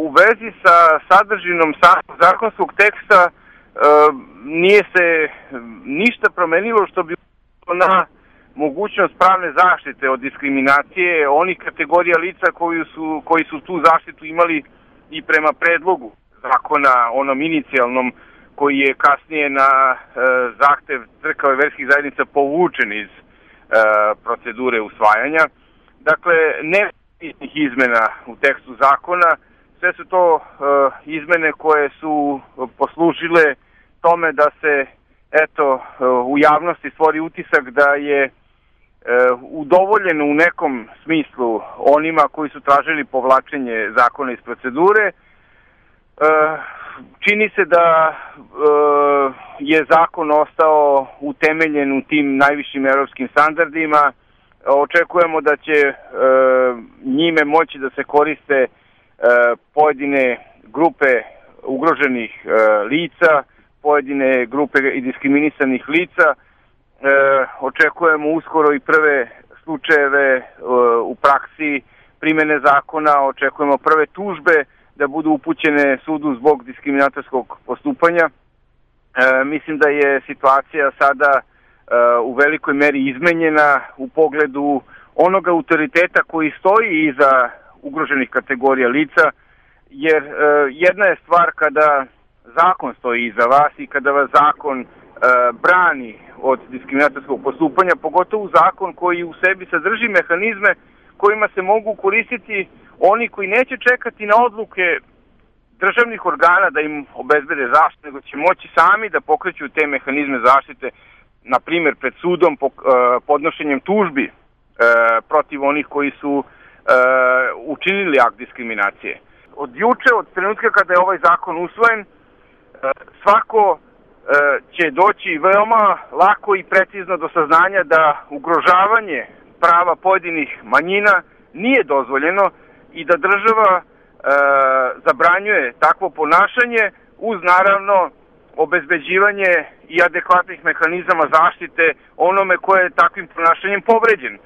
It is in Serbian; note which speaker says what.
Speaker 1: u vezi sa sadržinom zakonskog teksta nije se ništa promenilo što bi na mogućnost pravne zaštite od diskriminacije onih kategorija lica koji su tu zaštitu imali i prema predlogu zakona, onom inicijalnom, koji je kasnije na zahtev crkava i verskih zajednica povučen iz procedure usvajanja. Dakle, ne izmena u tekstu zakona, sve su to izmene koje su poslužile tome da se u javnosti stvori utisak da je udovoljeno u nekom smislu onima koji su tražili povlačenje zakona iz procedure. Čini se da je zakon ostao utemeljen u tim najvišim evropskim standardima. Očekujemo da će njime moći da se koriste pojedine grupe ugroženih lica, pojedine grupe i diskriminisanih lica. Očekujemo uskoro i prve slučajeve u praksi primene zakona, očekujemo prve tužbe da budu upućene sudu zbog diskriminatorskog postupanja. Mislim da je situacija sada u velikoj meri izmenjena u pogledu onog autoriteta koji stoji iza ugroženih kategorija lica, jer jedna je stvar kada zakon stoji iza vas i kada vas zakon brani od diskriminatorskog postupanja, pogotovo zakon koji u sebi sadrži mehanizme kojima se mogu koristiti oni koji neće čekati na odluke državnih organa da im obezbede zaštitu, nego će moći sami da pokreću te mehanizme zaštite, na primjer pred sudom, podnošenjem tužbi protiv onih koji su učinili akt diskriminacije. Od juče, od trenutka kada je ovaj zakon usvojen, svako će doći veoma lako i precizno do saznanja da ugrožavanje prava pojedinih manjina nije dozvoljeno i da država zabranjuje takvo ponašanje uz naravno obezbeđivanje i adekvatnih mehanizama zaštite onome koje je takvim ponašanjem povređen.